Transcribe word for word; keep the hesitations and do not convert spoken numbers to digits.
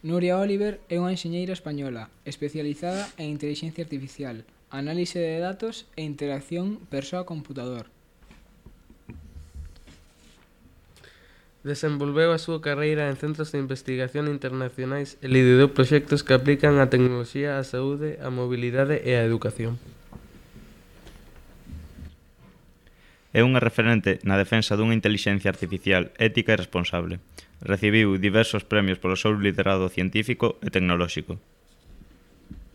Nuria Oliver é unha enxeñeira española especializada en intelixencia artificial, análise de datos e interacción persoa-computador. Desenvolveu a súa carreira en centros de investigación internacionais e liderou proxectos que aplican a tecnoloxía á saúde, a mobilidade e a educación. É unha referente na defensa dunha intelixencia artificial ética e responsable. Recibiu diversos premios polo seu liderado científico e tecnolóxico.